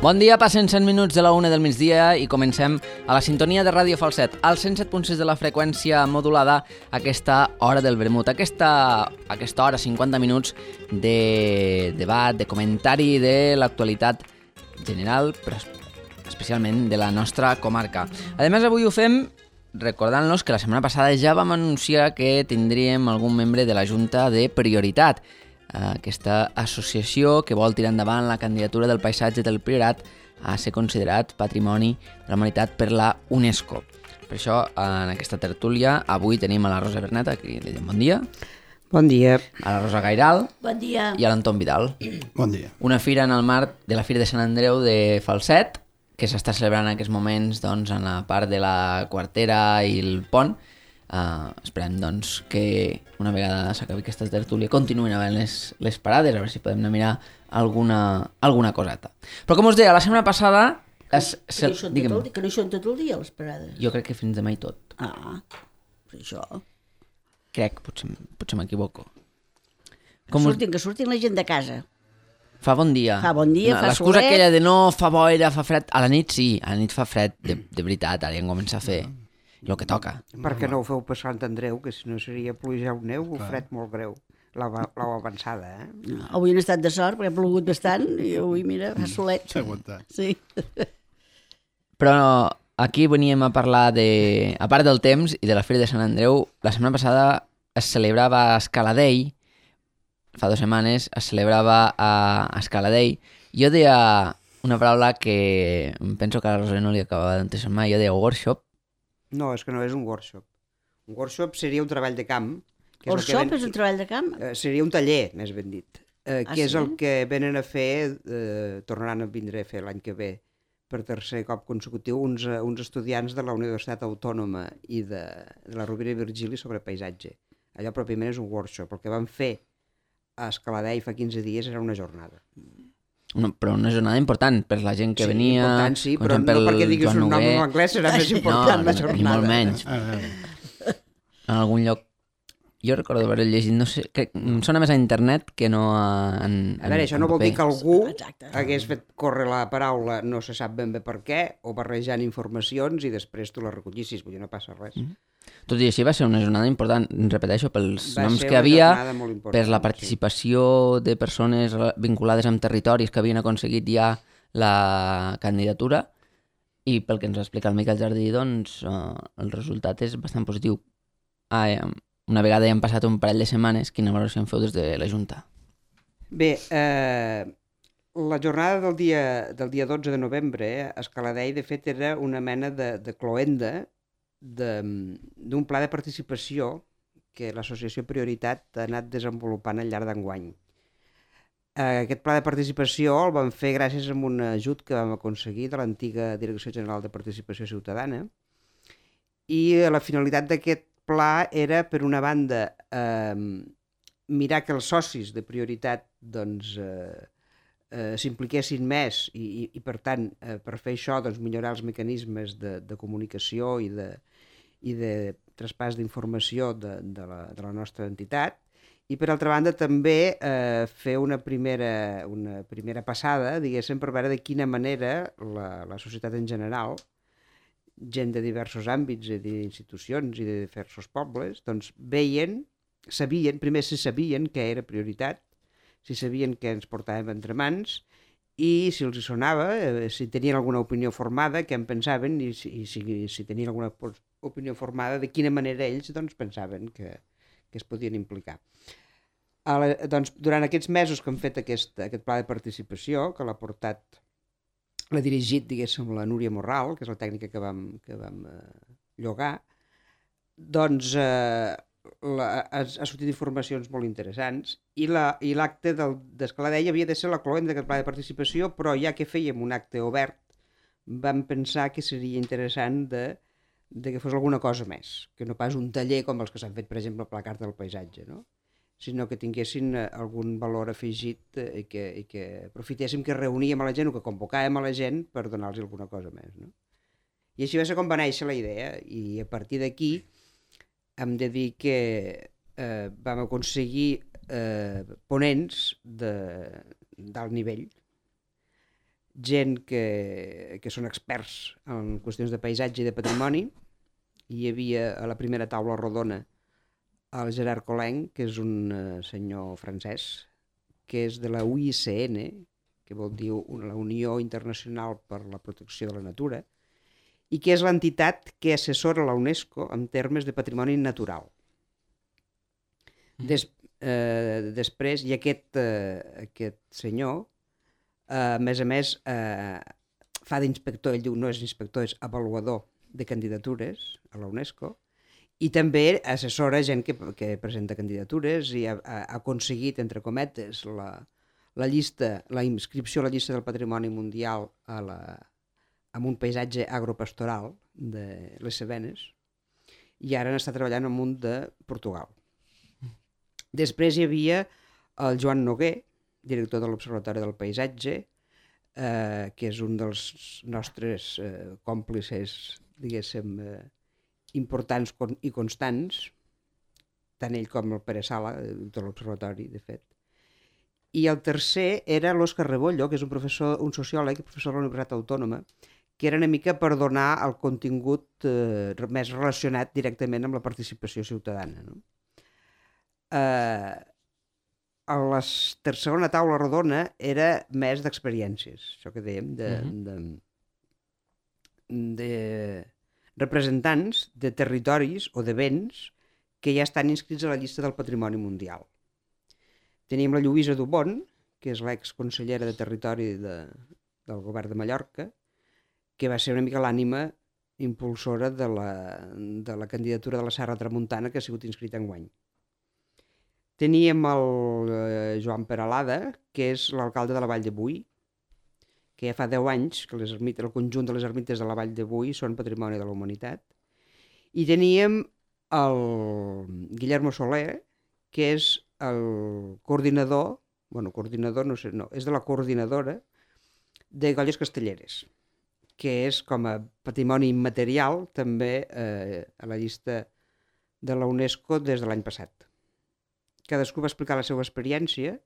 Bon dia, passen 100 minuts de la 1 del migdia i comencem a la sintonia de Ràdio Falset, al 107.6 de la freqüència modulada, aquesta hora del vermut, aquesta hora, 50 minuts de debat, de comentari de l'actualitat general, però especialment de la nostra comarca. A més, avui ho fem recordant-nos que la setmana passada ja vam anunciar que tindríem algun membre de la Junta de Prioritat, aquesta associació que vol tirar endavant la candidatura del paisatge del Priorat a ser considerat Patrimoni de la Humanitat per la UNESCO. Per això, en aquesta tertúlia, avui tenim a la Rosa Bernet, aquí li diem bon dia. Bon dia. A la Rosa Gairal. Bon dia. I a l'Anton Vidal. Bon dia. Una fira en el marc de la Fira de Sant Andreu de Falset, que s'està celebrant en aquests moments doncs, en la part de la Quartera i el Pont. Esperem doncs, que una vegada s'acabi aquesta tertúlia continuïn havent les parades, a veure si podem anar a mirar alguna coseta. Però com us deia, la setmana passada... Que no hi són tot el dia, les parades. Jo crec que fins demà i tot. Per això. Crec, potser m'equivoco. Que surtin la gent de casa. Fa bon dia. Fa bon dia, fa solet. L'excusa aquella de no fa boira, fa fred... A la nit sí, a la nit fa fred, de veritat, ara ja comença a fer el que toca. Perquè no ho feu per Sant Andreu, que si no seria pluja o neu, o fred molt greu. L'heu avançada, eh? Avui han estat de sort, perquè ha plogut bastant, i avui, mira, fa solet. S'ha aguantat. Sí. Però aquí veníem a parlar de... A part del temps i de la Fira de Sant Andreu, la setmana passada es celebrava a Escaladei, fa 2 setmanes es celebrava a Escaladei. Jo deia una paraula que penso que a la Rosa no li acabava d'entusiasmar, jo deia workshop. No, és que no és un workshop. Un workshop seria un treball de camp. Workshop és un treball de camp? Seria un taller, més ben dit. Que és sí? el que venen a fer, tornaran a vindre a fer l'any que ve, per tercer cop consecutiu, uns estudiants de la Universitat Autònoma i de la Rovira i Virgili sobre paisatge. Allò pròpiament és un workshop. El que van fer a Escaladei fa 15 dies era una jornada. Però una jornada important per la gent que venia... Important, sí, però no perquè diguis un nom en anglès serà més important la jornada. Ni molt menys. En algun lloc... Jo recordo haver llegit, no sé, em sona més a internet que no en a veure, això no vol dir que algú Exacte. hagués fet córrer la paraula no se sap ben bé per què, o barrejant informacions i després tu la recollissis, vull dir, no passa res. Tot i així va ser una jornada important, repeteixo, pels Va noms ser que una havia, jornada molt important, per la participació de persones vinculades amb territoris que havien aconseguit ja la candidatura, i pel que ens va explicar el Miquel Jardí, doncs el resultat és bastant positiu. Una vegada ja han passat un parell de setmanes, quina valoració en feu des de la Junta? Bé, la jornada del dia 12 de novembre a Escaladei, de fet, era una mena de cloenda d'un pla de participació que l'Associació Prioritat ha anat desenvolupant al llarg d'enguany. Aquest pla de participació el vam fer gràcies a un ajut que vam aconseguir de l'antiga Direcció General de Participació Ciutadana, i la finalitat d'aquest pla era, per una banda, mirar que els socis de Prioritat doncs, s'impliquessin més i per tant, per fer això, doncs, millorar els mecanismes de comunicació i de traspàs d'informació de la nostra entitat, i per altra banda també fer una primera passada, diguéssim, per veure de quina manera la societat en general, gent de diversos àmbits i d'institucions i de diversos pobles, doncs sabien què era Prioritat, si sabien què ens portàvem entre mans i si els hi sonava, si tenien alguna opinió formada, què en pensaven i si tenien alguna opinió formada, de quina manera ells doncs, pensaven que es podien implicar. Doncs, durant aquests mesos que hem fet aquest pla de participació, que l'ha dirigit, diguéssim, la Núria Morral, que és la tècnica que vam llogar, doncs ha sortit informacions molt interessants i l'acte d'Escaladei havia de ser la cloenda d'aquest pla de participació, però ja que fèiem un acte obert, vam pensar que seria interessant de que fos alguna cosa més, que no pas un taller com els que s'han fet, per exemple, a la Carta del Paisatge, no? Sinó que tinguessin algun valor afegit i que aprofitéssim que reuníem a la gent o que convocàvem a la gent per donar-los alguna cosa més. No? I així va ser com va néixer la idea, i a partir d'aquí hem de dir que vam aconseguir ponents d'alt nivell gent que són experts en qüestions de paisatge i de patrimoni. Hi havia a la primera taula rodona el Gerard Collin, que és un senyor francès, que és de la UICN, que vol dir la Unió Internacional per la Protecció de la Natura, i que és l'entitat que assessora la UNESCO en termes de patrimoni natural. Després, i aquest senyor, a més, fa d'inspector, ell diu no és inspector, és avaluador de candidatures a la UNESCO, i també assessora gent que presenta candidatures i ha aconseguit, entre cometes, la inscripció a la llista del Patrimoni Mundial amb un paisatge agropastoral de les Cevenes, i ara n'està treballant al munt de Portugal. Després hi havia el Joan Noguer, director de l'Observatori del Paisatge, que és un dels nostres còmplices, diguéssim, importants i constants, tant ell com el Pere Sala, de l'Observatori, de fet. I el tercer era l'Òscar Rebollo, que és un sociòleg i professor de la Universitat Autònoma, que era una mica per donar el contingut més relacionat directament amb la participació ciutadana. No? A la segona taula rodona era més d'experiències, això que dèiem, de representants de territoris o de béns que ja estan inscrits a la llista del Patrimoni Mundial. Teníem la Lluïsa Dubon, que és l'exconsellera de Territori del govern de Mallorca, que va ser una mica l'ànima impulsora de la candidatura de la Serra Tramuntana, que ha sigut inscrita enguany. Teníem el Joan Peralada, que és l'alcalde de la Vall de Boí, que ja fa 10 anys que el conjunt de les ermites de la Vall de Boí són patrimoni de la humanitat. I teníem el Guillermo Soler, que és el coordinador, és de la coordinadora de Golles Castelleres, que és com a patrimoni immaterial també a la llista de la UNESCO des de l'any passat. Cadascú va explicar la seva experiència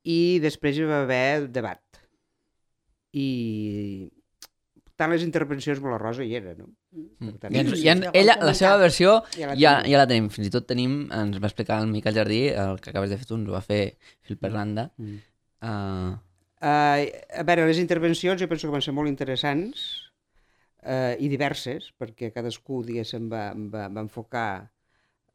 i després hi va haver debat. I tant les intervencions com la Rosa hi era, no? Tant, ella, la seva versió ja la tenim. Fins i tot ens va explicar el Miquel Jardí, el que acabes de fer tu, ens ho va fer fil per randa. A veure, les intervencions jo penso que van ser molt interessants i diverses, perquè cadascú, diguéssim, va enfocar.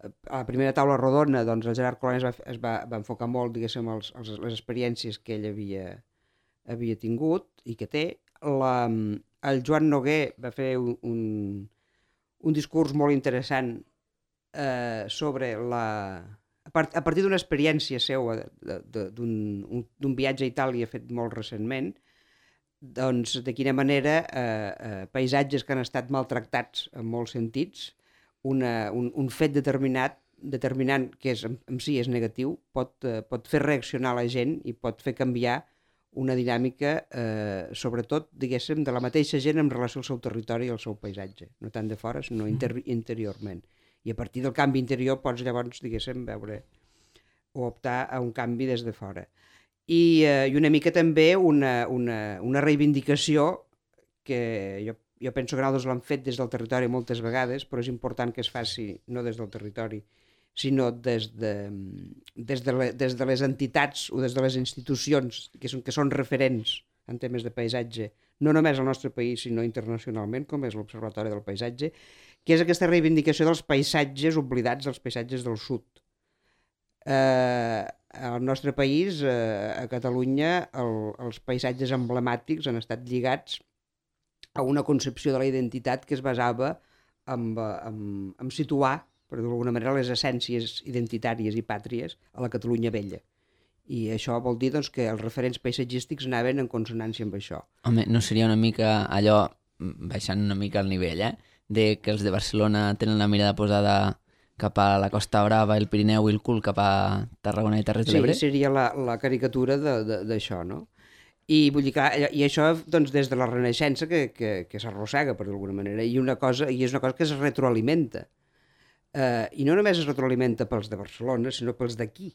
A la primera taula rodona, doncs, el Gerard Collin es va enfocar molt, diguéssim, les experiències que ell havia tingut i que té. El Joan Noguer va fer un discurs molt interessant sobre a partir d'una experiència seva d'un viatge a Itàlia fet molt recentment, doncs de quina manera paisatges que han estat maltractats en molts sentits, un fet determinant que en si és negatiu pot fer reaccionar la gent i pot fer canviar una dinàmica, sobretot, diguéssim, de la mateixa gent en relació al seu territori i al seu paisatge, no tant de fora, sinó interiorment. I a partir del canvi interior pots llavors, diguéssim, veure o optar a un canvi des de fora. I una mica també una reivindicació que jo penso que nosaltres l'hem fet des del territori moltes vegades, però és important que es faci no des del territori, sinó des de les entitats o des de les institucions que són referents en temes de paisatge, no només al nostre país, sinó internacionalment, com és l'Observatori del Paisatge, que és aquesta reivindicació dels paisatges oblidats, dels paisatges del sud. Al nostre país, a Catalunya, els paisatges emblemàtics han estat lligats a una concepció de la identitat que es basava en situar, per dir-ho d'alguna manera, les essències identitàries i pàtries a la Catalunya vella. I això vol dir doncs, que els referents paisatgístics anaven en consonància amb això. Home, no seria una mica allò, baixant una mica el nivell, de que els de Barcelona tenen la mirada posada cap a la Costa Brava, el Pirineu i el cul cap a Tarragona i Terres de l'Ebre? Sí, seria la caricatura d'això, no? I vull dir que això doncs, des de la Renaixença que s'arrossega, per d'alguna manera, i és una cosa que es retroalimenta. I no només es retroalimenta pels de Barcelona, sinó pels d'aquí.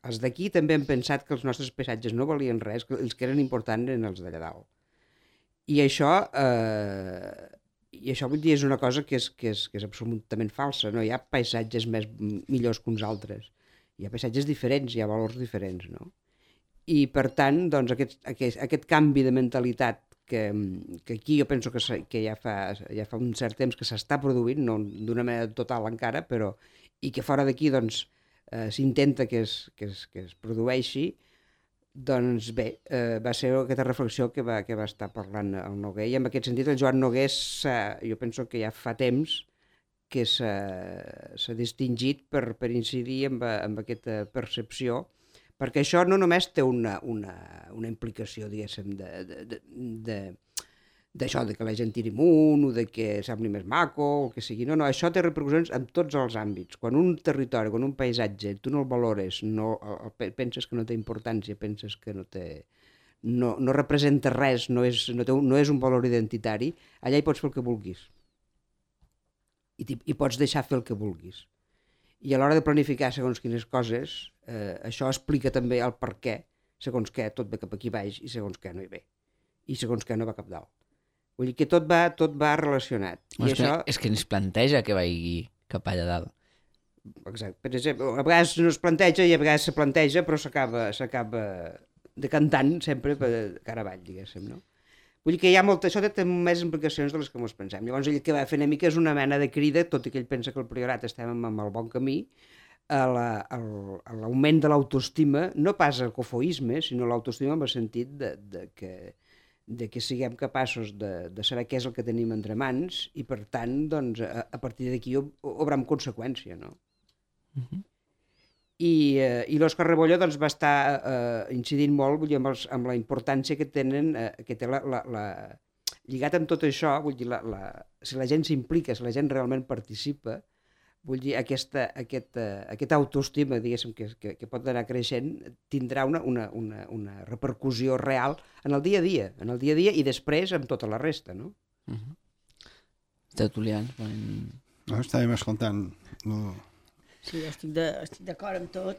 els d'aquí també han pensat que els nostres paisatges no valien res, que els que eren importants eren els d'allà dalt. I això vull dir, és una cosa que és absolutament falsa. No hi ha paisatges millors que uns altres. Hi ha paisatges diferents, hi ha valors diferents, no? I, per tant, doncs, aquest canvi de mentalitat que aquí jo penso que ja fa un cert temps que s'està produint, no d'una manera total encara, però i que fora d'aquí doncs, s'intenta que es produeixi, doncs bé, va ser aquesta reflexió que va estar parlant el Noguer, i en aquest sentit el Joan Noguer jo penso que ja fa temps que s'ha distingit per incidir en aquesta percepció, perquè això no només té una implicació, diguéssim, d'això, de que la gent tiri amunt, o de que sembli més maco, o el que sigui. No, això té repercussions en tots els àmbits. Quan un territori, quan un paisatge, tu no el valores, penses que no té importància, penses que no representa res, no és un valor identitari, allà hi pots fer el que vulguis. I pots deixar fer el que vulguis. I a l'hora de planificar segons quines coses, això explica també el per què, segons què tot ve cap aquí baix i segons què no hi ve. I segons què no va cap dalt. Vull dir que tot va relacionat. És que ens planteja que vagi cap allà dalt. Exacte. Per exemple, a vegades no es planteja i a vegades se planteja, però s'acaba decantant sempre cara avall, diguéssim, no? Vull dir que això té més implicacions de les que ens pensem. Llavors ell que va fer una mica és una mena de crida, tot i que ell pensa que el Priorat estem en el bon camí, a l'augment de l'autoestima, no pas al cofoisme, sinó l'autoestima en el sentit de que siguem capaços de saber què és el que tenim entre mans i, per tant, doncs, a partir d'aquí obrem conseqüència, no? I l'Òscar Rebollo doncs, va estar incidint molt, vull dir, amb la importància que té lligat amb tot això, vull dir, si la gent s'implica, si la gent realment participa, vull dir, aquesta autoestima, diguéssim, que pot anar creixent, tindrà una repercussió real en el dia a dia, i després amb tota la resta, no? Tertulians. No, estàvem escoltant. Sí, estic d'acord amb tot.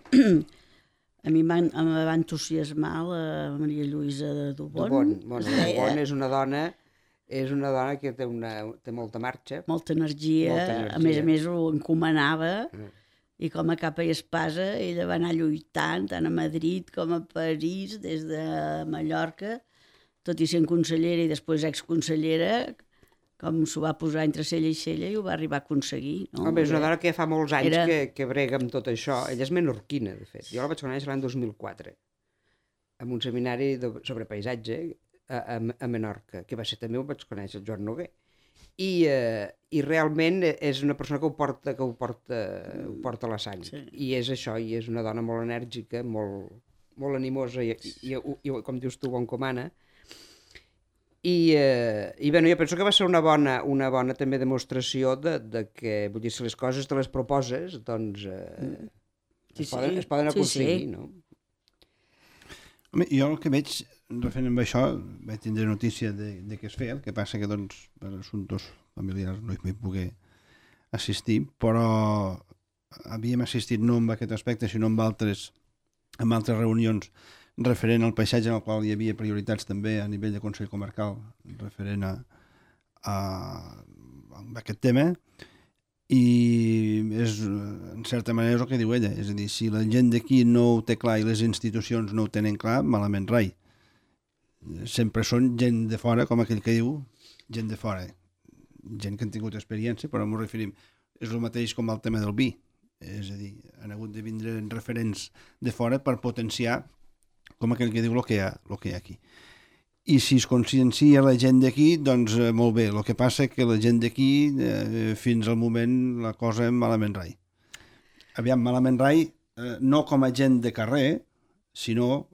A mi em va entusiasmar la Maria Lluïsa de Dubon. Dubon és una dona que té molta marxa. Molta energia. A més ho encomanava, i com a capa i espasa ella va anar lluitant tant a Madrid com a París, des de Mallorca, tot i sent consellera i després exconsellera, com s'ho va posar entre cella i cella i ho va arribar a aconseguir. No? Home, és una dona que fa molts anys que brega amb tot això. Ella és menorquina, de fet. Jo la vaig conèixer l'any 2004, en un seminari sobre paisatge a Menorca, que va ser també ho vaig conèixer, el Joan Noguer. I realment és una persona que ho porta a la sang. Sí. I és això, i és una dona molt enèrgica, molt animosa i com dius tu, ho encomana. I bé, jo penso que va ser una bona també demostració de que, vull dir, si les coses te les proposes, doncs es poden aconseguir, no? Home, jo el que veig, referent amb això, vaig tindre notícia de què es feia, el que passa que, doncs, per assumptes familiars no hi vaig poder assistir, però havíem assistit no amb aquest aspecte, sinó amb altres reunions referent al paisatge en el qual hi havia prioritats també a nivell de Consell Comarcal referent a aquest tema, i és en certa manera és el que diu ella, és a dir, si la gent d'aquí no ho té clar i les institucions no ho tenen clar, malament rai. Sempre són gent de fora, com aquell que diu, gent de fora, gent que han tingut experiència, però m'ho referim, és el mateix com el tema del vi, és a dir, han hagut de vindre referents de fora per potenciar com aquell que diu el que hi ha aquí. I si es consciencia la gent d'aquí, doncs molt bé. El que passa que la gent d'aquí, fins al moment, la cosa malament rai. Aviam, malament rai, no com a gent de carrer, sinó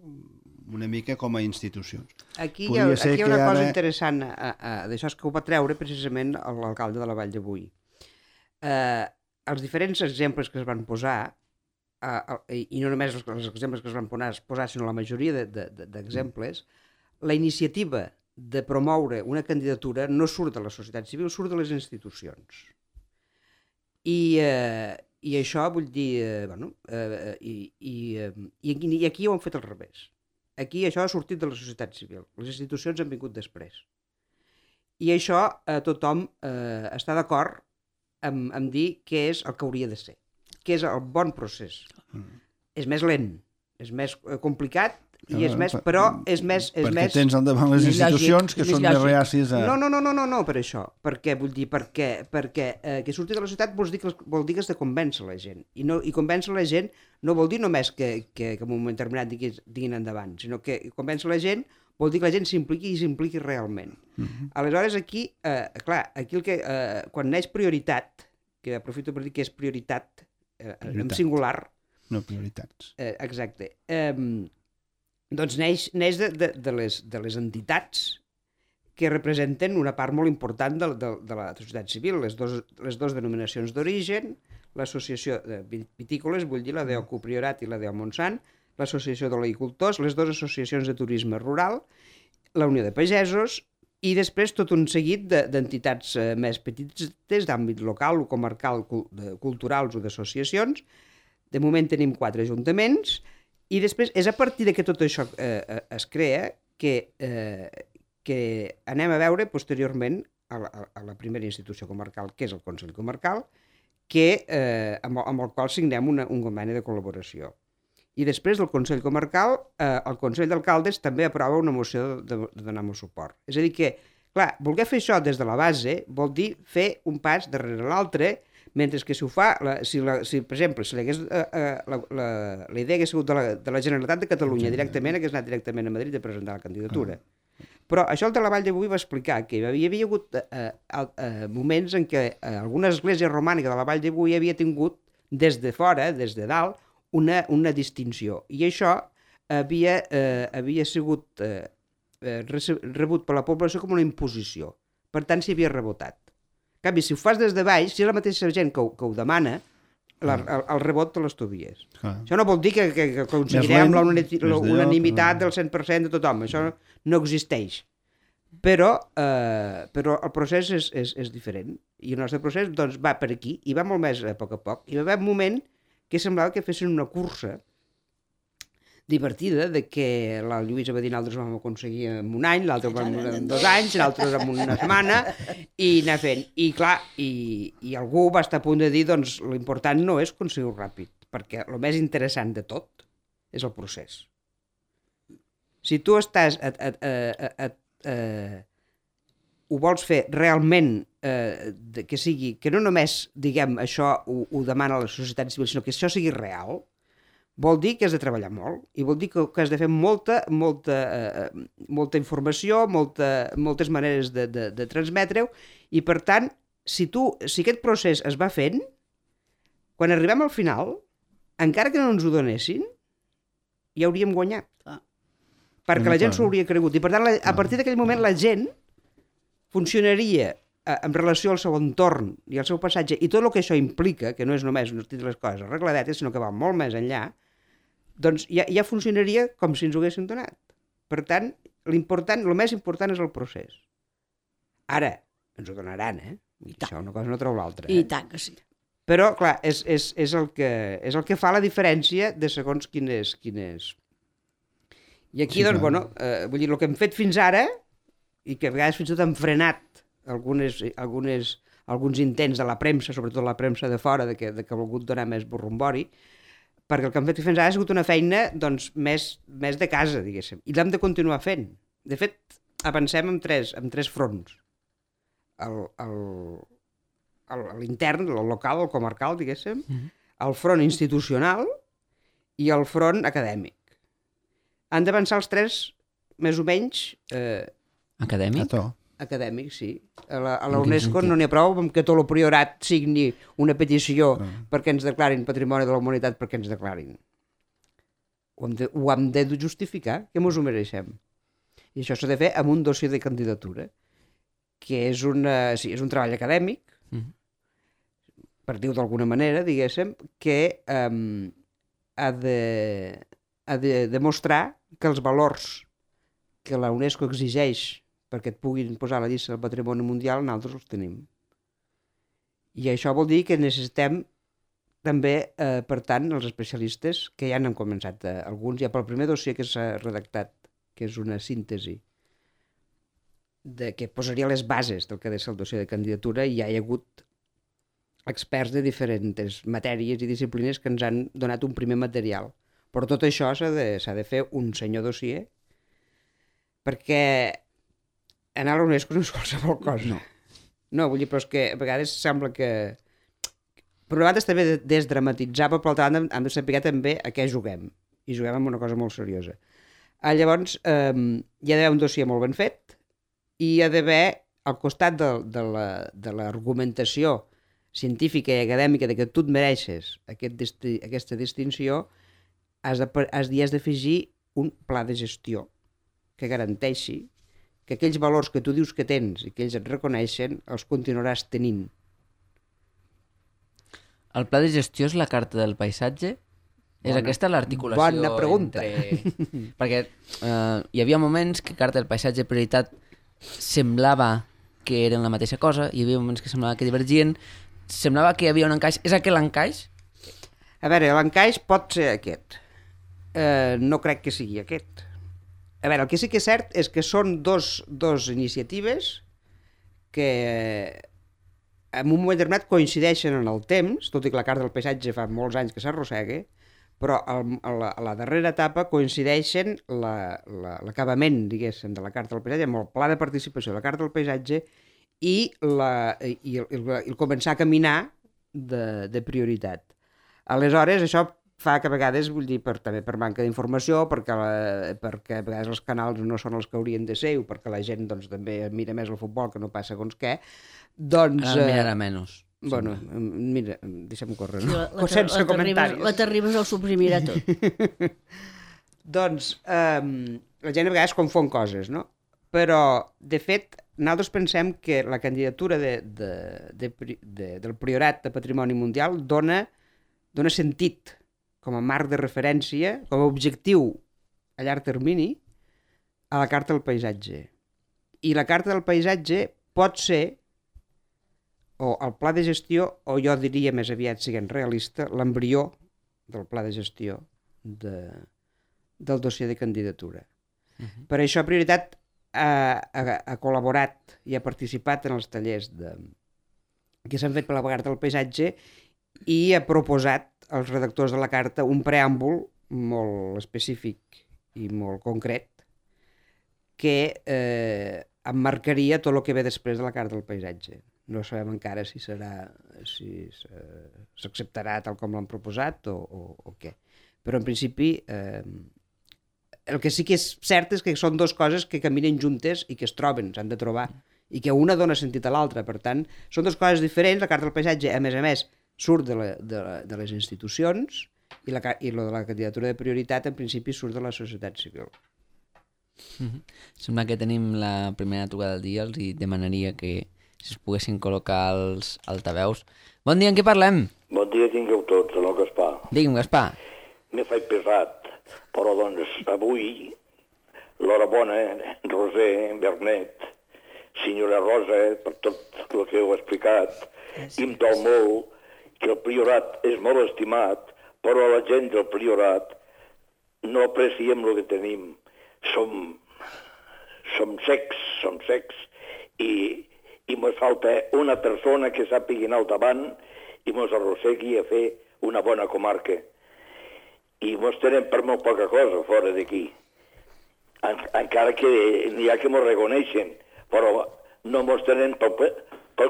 una mica com a institucions. Aquí hi ha una cosa interessant d'això, és que ho va treure precisament l'alcalde de la Vall de Boí. Els diferents exemples que es van posar, i no només els exemples que es van posar, sinó la majoria d'exemples, la iniciativa de promoure una candidatura no surt de la societat civil, surt de les institucions. I I això vull dir, i aquí ho han fet al revés. Aquí això ha sortit de la societat civil. Les institucions han vingut després. I això tothom està d'acord en dir què és el que hauria de ser, què és el bon procés. És més lent, és més complicat, i és més, però és més... Perquè tens al davant les institucions que són més reàcies a... No, per això. Perquè, vull dir, perquè que surti de la societat vol dir que has de convèncer la gent. I convèncer la gent no vol dir només que en un moment determinat diguin endavant, sinó que convèncer la gent vol dir que la gent s'impliqui i s'impliqui realment. Aleshores, aquí, clar, aquí quan neix prioritat, que aprofito per dir que és prioritat en singular... No prioritats. Exacte. Doncs neix de les entitats que representen una part molt important de la societat civil, les dos denominacions d'origen, l'associació de vitícoles, vull dir la d'Ocu Priorat i la de Montsant, l'associació d'oleicultors, les dues associacions de turisme rural, la Unió de Pagesos i després tot un seguit d'entitats més petites d'àmbit local o comarcal, culturals o d'associacions. De moment tenim 4 ajuntaments. I després és a partir que tot això es crea que anem a veure posteriorment a la primera institució comarcal, que és el Consell Comarcal, amb el qual signem un conveni de col·laboració. I després del Consell Comarcal, el Consell d'Alcaldes també aprova una moció de donar-me suport. És a dir que, clar, voler fer això des de la base vol dir fer un pas darrere l'altre, mentre que si ho fa, per exemple, si la idea hagués sigut de la Generalitat de Catalunya directament, hagués anat directament a Madrid a presentar la candidatura. Però això el de la Vall de Boí va explicar que hi havia hagut moments en què alguna església romànica de la Vall de Boí havia tingut des de fora, des de dalt, una distinció. I això havia sigut rebut per la població com una imposició. Per tant, s'hi havia rebotat. En canvi, si ho fas des de baix, si és la mateixa gent que ho demana, el rebot te l'estovies. Això no vol dir que aconseguirem l'unanimitat del 100% de tothom. Això no existeix. Però el procés és diferent. I el nostre procés va per aquí i va molt més a poc. I va haver un moment que semblava que fessin una cursa divertida, de que la Lluïsa va dir nosaltres ho vam aconseguir en un any, l'altre en 2 anys, l'altre en una setmana, i anar fent. I clar, i algú va estar a punt de dir, doncs l'important no és aconseguir-ho ràpid, perquè el més interessant de tot és el procés. Si tu estàs ho vols fer realment que no només, diguem, això ho demana la societat civil, sinó que això sigui real, vol dir que has de treballar molt i vol dir que has de fer molta informació, moltes maneres de transmetre-ho, i per tant, si aquest procés es va fent, quan arribem al final, encara que no ens ho donessin, ja hauríem guanyat. Perquè la gent s'ho hauria cregut. I per tant, a partir d'aquell moment, la gent funcionaria en relació al seu entorn i al seu passatge, i tot el que això implica, que no és només tenir les coses arregladetes, sinó que va molt més enllà, doncs ja funcionaria com si ens ho haguessin donat. Per tant, el més important és el procés. Ara, ens ho donaran, Això una cosa no treu l'altra. I tant que sí. Però, clar, és el que fa la diferència de segons quin és. I aquí, doncs, vull dir, el que hem fet fins ara, i que a vegades fins i tot han frenat alguns intents de la premsa, sobretot la premsa de fora, que ha volgut donar més borrombori, perquè el que hem fet fins ara ha sigut una feina doncs, més de casa, diguéssim, i l'hem de continuar fent. De fet, avancem en tres fronts. L'intern, el local, el comarcal, diguéssim, el front institucional i el front acadèmic. Han d'avançar els tres, més o menys... Acadèmic? Acadèmic, sí. A la UNESCO no n'hi ha prou que tot el priorat signi una petició perquè ens declarin Patrimoni de la Humanitat, perquè ens declarin. Ho hem de justificar, que ens ho mereixem. I això s'ha de fer amb un dossier de candidatura, que és un treball acadèmic, per dir-ho d'alguna manera, diguéssim, que ha de demostrar que els valors que la UNESCO exigeix perquè et puguin posar a la llista del patrimoni mundial, nosaltres els tenim. I això vol dir que necessitem també, per tant, els especialistes, que ja n'han començat alguns, ja pel primer dossier que s'ha redactat, que és una síntesi que posaria les bases del que ha de ser el dossier de candidatura, i ja hi ha hagut experts de diferents matèries i disciplines que ens han donat un primer material. Però tot això s'ha de fer un senyor dossier, perquè anar a l'UNESCO no és qualsevol cosa. No, vull dir, però és que a vegades sembla que... Per una banda està bé desdramatitzar, però per l'altra banda hem de saber també a què juguem. I juguem amb una cosa molt seriosa. Llavors, hi ha d'haver un dossier molt ben fet i hi ha d'haver, al costat de l'argumentació científica i acadèmica de que tu et mereixes aquesta distinció, has d'afegir un pla de gestió que garanteixi que aquells valors que tu dius que tens i que ells et reconeixen els continuaràs tenint. El pla de gestió és la carta del paisatge? És aquesta l'articulació? Bona pregunta. Perquè hi havia moments que carta del paisatge i prioritat semblava que eren la mateixa cosa, hi havia moments que semblava que divergien, semblava que hi havia un encaix. És aquest l'encaix? A veure, l'encaix pot ser aquest. No crec que sigui aquest. A veure, el que sí que és cert és que són dos iniciatives que en un moment determinat coincideixen en el temps, tot i que la carta del paisatge fa molts anys que s'arrossega, però a la darrera etapa coincideixen l'acabament, diguéssim, de la carta del paisatge amb el pla de participació de la carta del paisatge i el començar a caminar de prioritat. Aleshores, això fa que a vegades, vull dir, també per manca d'informació, perquè a vegades els canals no són els que haurien de ser, o perquè la gent doncs, també mira més el futbol que no passa segons què, doncs... Ara mirarà menys. Bueno, mira, deixa'm córrer, no? Sense comentaris. T'arribes al suprimirà tot. Doncs la gent a vegades confon coses, no? Però, de fet, nosaltres pensem que la candidatura del Priorat de Patrimoni Mundial dona sentit com a marc de referència, com a objectiu a llarg termini, a la carta del paisatge. I la carta del paisatge pot ser, o el pla de gestió, o jo diria més aviat, siguent realista, l'embrió del pla de gestió del dossier de candidatura. Per això Prioritat ha col·laborat i ha participat en els tallers que s'han fet per la carta del paisatge i ha proposat als redactors de la carta un preàmbul molt específic i molt concret que emmarcaria tot el que ve després de la carta del paisatge. No sabem encara si s'acceptarà tal com l'han proposat o què. Però en principi el que sí que és cert és que són dues coses que caminen juntes i que es troben, s'han de trobar, i que una dona sentit a l'altra. Per tant, són dues coses diferents. La carta del paisatge, a més, surt de les institucions i lo de la candidatura de prioritat, en principi, surt de la societat civil. Sembla que tenim la primera trucada del dia, els demanaria que si es poguessin col·locar els altaveus. Bon dia, en què parlem? Bon dia tingueu tots, el Gaspar. Digui'm, Gaspar. M'he fet pesat, però doncs avui, l'hora bona, Roser, Bernet, senyora Rosa, per tot el que heu explicat, i em dol molt que el Priorat és molt estimat, però la gent del Priorat no apreciem el que tenim. Som secs, i mos falta una persona que sàpiga anar al davant i mos arrossegui a fer una bona comarca. I mos tenen per molt poca cosa fora d'aquí. Encara que n'hi ha que mos reconeixen, però no mos tenen pel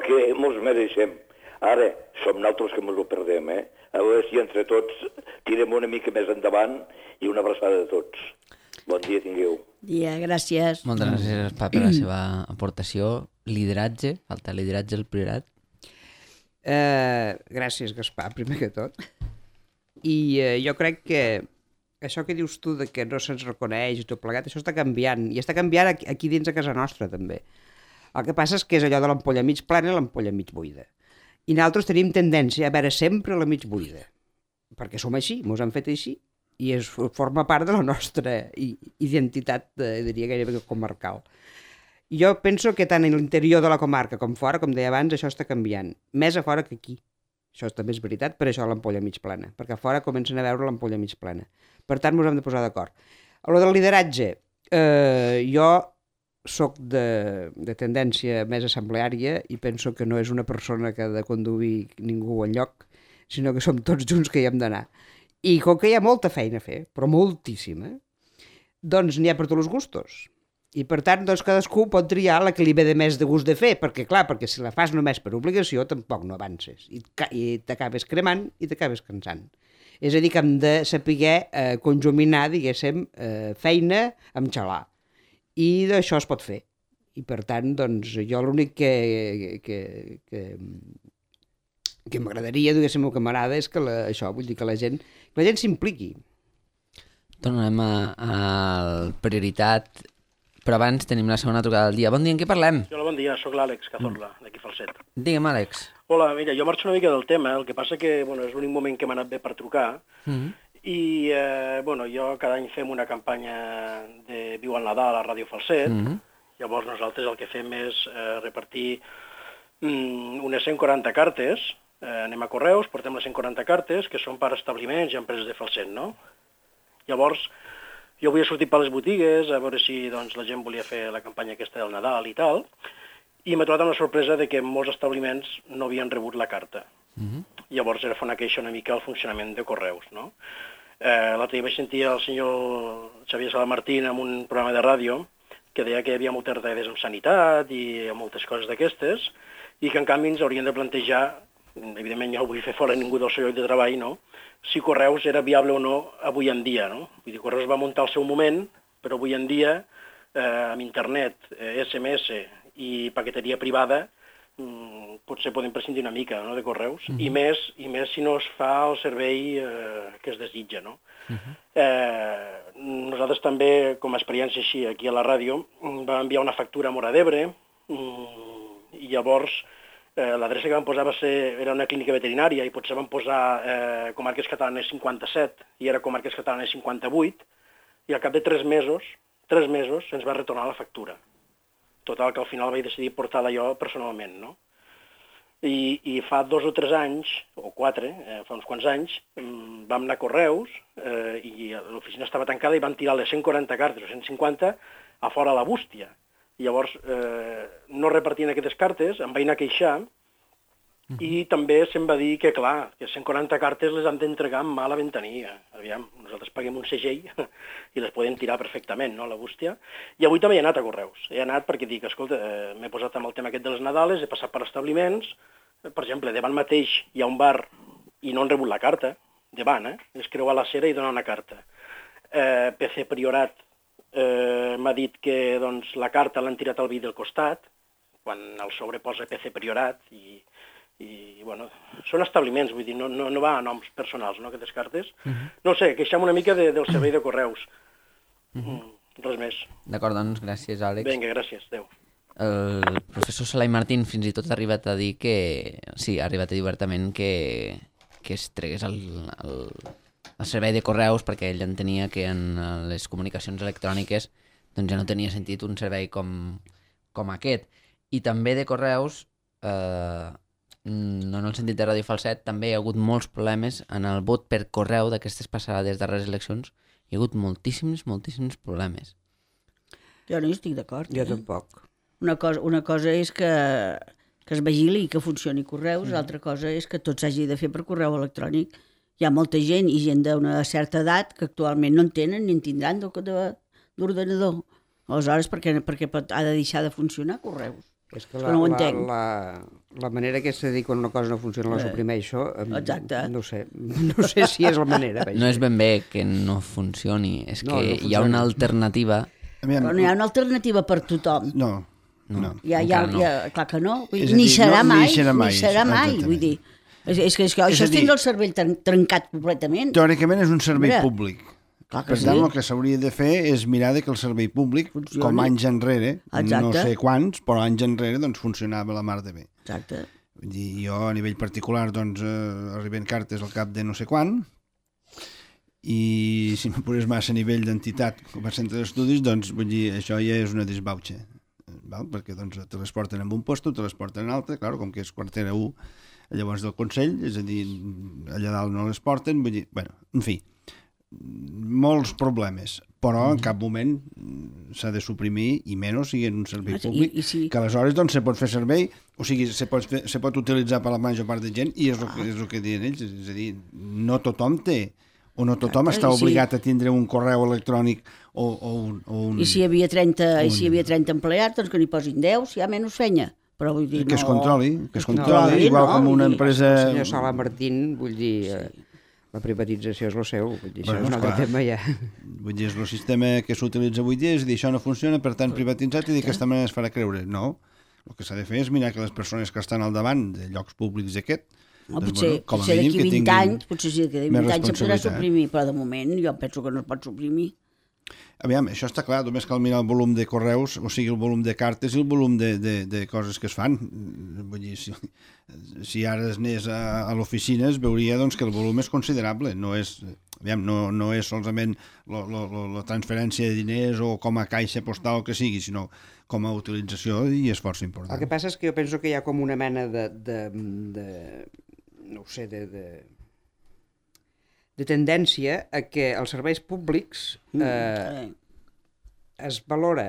que mos mereixem. Ara, som nosaltres que mos ho perdem, A veure si entre tots tirem una mica més endavant i una abraçada de tots. Bon dia tingueu. Dia, gràcies. Moltes gràcies, Gaspar, per la seva aportació. Lideratge, falta lideratge al Priorat. Gràcies, Gaspar, primer que tot. I jo crec que això que dius tu de que no se'ns reconeix i tot plegat, això està canviant, i està canviant aquí dins a casa nostra també. El que passa és que és allò de l'ampolla mig plena i l'ampolla mig buida. I nosaltres tenim tendència a veure sempre la mig buida, perquè som així, mos han fet així, i forma part de la nostra identitat, diria gairebé comarcal. Jo penso que tant en l'interior de la comarca com fora, com deia abans, això està canviant, més a fora que aquí. Això també és veritat, per això l'ampolla mig plana, perquè a fora comencen a veure l'ampolla mig plana. Per tant, ens hem de posar d'acord. A lo del lideratge, jo soc de tendència més assembleària i penso que no és una persona que ha de conduir ningú enlloc, sinó que som tots junts que hi hem d'anar. I com que hi ha molta feina a fer, però moltíssima, doncs n'hi ha per tots els gustos. I per tant, doncs, cadascú pot triar la que li ve de més de gust de fer, perquè clar, perquè si la fas només per obligació tampoc no avances i t'acabes cremant i t'acabes cansant. És a dir, que hem de saber conjuminar, diguéssim, feina amb xalar. I d'això es pot fer. I per tant, doncs, jo l'únic que m'agradaria, diguéssim, o que m'agrada és que això, vull dir que la gent s'impliqui. Tornem a la prioritat, però abans tenim la segona trucada del dia. Bon dia, en què parlem? Hola, bon dia, sóc l'Àlex Cazorla, d'aquí Falset. Digue'm, Àlex. Hola, mira, jo marxo una mica del tema, el que passa que bueno, és l'únic moment que m'ha anat bé per trucar, i bueno, jo cada any fem una campanya de Viu el Nadal a Ràdio Falset, llavors nosaltres el que fem és repartir unes 140 cartes, anem a correus, portem les 140 cartes, que són per establiments i empreses de Falset, no? Llavors, jo volia sortir per les botigues, a veure si doncs, la gent volia fer la campanya aquesta del Nadal i tal, i m'he trobat amb la sorpresa de que molts establiments no havien rebut la carta. Llavors era fer una queixa una mica al funcionament de correus, no? L'altre dia vaig sentir el senyor Xavier Salamartín en un programa de ràdio que deia que hi havia moltes retallades en sanitat i moltes coses d'aquestes, i que en canvi ens haurien de plantejar, evidentment ja ho vull fer fora ningú del seu lloc de treball, no?, si Correus era viable o no avui en dia, no? Vull dir, Correus va muntar al seu moment, però avui en dia, amb internet, SMS i paqueteria privada, potser podem prescindir una mica, no?, de Correus, i més si no es fa el servei que es desitja, no? Nosaltres també, com a experiència així, aquí a la ràdio, vam enviar una factura a Móra d'Ebre, i llavors l'adreça que vam posar era una clínica veterinària i potser vam posar Comarques Catalanes 57 i era Comarques Catalanes 58 i al cap de 3 mesos se'ns va retornar la factura. Total, que al final vaig decidir portar-la jo personalment, no? I fa 2 o 3 anys, o 4, fa uns quants anys, vam anar a Correus i l'oficina estava tancada i van tirar les 140 cartes o 150 a fora a la bústia. I llavors no repartien aquestes cartes, em vaig anar a queixar i també se'm va dir que, clar, que 140 cartes les han d'entregar amb mà a la ventanilla. Aviam, nosaltres paguem un segell i les podem tirar perfectament, no?, a la bústia. I avui també he anat a Correus. He anat perquè dic, escolta, m'he posat amb el tema aquest de les Nadales, he passat per establiments, per exemple, davant mateix hi ha un bar i no han rebut la carta, davant, és creuar la cera i donar una carta. PC Priorat m'ha dit que doncs, la carta l'han tirat al vi del costat, quan el sobre posa PC Priorat, i bueno, són establiments, vull dir, no va a noms personals, no, aquestes cartes. No sé, queixem una mica del servei de Correus. Res més. D'acord, doncs, gràcies, Àlex. Vinga, gràcies, adéu. El professor Salai Martín fins i tot ha arribat a dir que... Sí, ha arribat a dir obertament que es tregués el servei de correus perquè ell entenia que en les comunicacions electròniques doncs ja no tenia sentit un servei com aquest. I també de correus, no en el sentit de Ràdio Falset, també hi ha hagut molts problemes en el vot per correu d'aquestes passades darreres eleccions. Hi ha hagut moltíssims problemes. Jo no hi estic d'acord. Jo tampoc. Una cosa és que es vigili i que funcioni correus, l'altra cosa és que tot s'hagi de fer per correu electrònic. Hi ha molta gent i gent d'una certa edat que actualment no en tenen ni en tindran d'ordenador. Aleshores, per què ha de deixar de funcionar correus? És que no ho entenc. La manera que se diu quan una cosa no funciona la suprimeixo, exacte. No sé si és la manera. No és ben bé que no funcioni, és que hi ha una alternativa. Però no hi ha una alternativa per tothom. No. Clar que no. Ni serà mai. Vull dir, és que això és tindre el cervell trencat completament. Teòricament és un servei públic. Per tant, el que s'hauria de fer és mirar que el servei públic, com anys enrere, no sé quants, però anys enrere, doncs funcionava la mar de bé. Exacte. Vull dir, jo a nivell particular, doncs, arriben cartes al cap de no sé quan, i si me posés massa a nivell d'entitat com a centre d'estudis, doncs, vull dir, això ja és una desbauxa, perquè doncs, te les porten en un lloc, te les porten en altre, clar, com que és quartera 1, llavors del Consell, és a dir, allà dalt no les porten, vull dir, bueno, en fi, molts problemes, però en cap moment s'ha de suprimir, i menys sigui en un servei públic, que aleshores doncs, se pot fer servei, o sigui, se pot utilitzar per la major part de gent, i és el que diuen ells, és a dir, no tothom té, o no tothom està obligat a tindre un correu electrònic o un... I si hi havia 30 empleats, doncs que n'hi posin 10, si hi ha menys feina. Però vull dir, que es controli, igual com una empresa... El senyor Sala Martín, vull dir... La privatització és el seu, vull dir, això és un altre tema ja. Vull dir, és el sistema que s'utilitza avui dia, és dir, això no funciona, per tant privatitzat, i d'aquesta manera es farà creure. No, el que s'ha de fer és mirar que les persones que estan al davant de llocs públics d'aquest, potser d'aquí 20 anys, potser sí, d'aquí 20 anys se podrà suprimir, però de moment jo penso que no es pot suprimir. Aviam, això està clar, només cal mirar el volum de correus, o sigui, el volum de cartes i el volum de coses que es fan. Vull dir, si ara es anés a l'oficina es veuria doncs, que el volum és considerable, no és solament la transferència de diners o com a caixa postal o que sigui, sinó com a utilització i esforç important. El que passa és que jo penso que hi ha com una mena de tendència a que els serveis públics es valora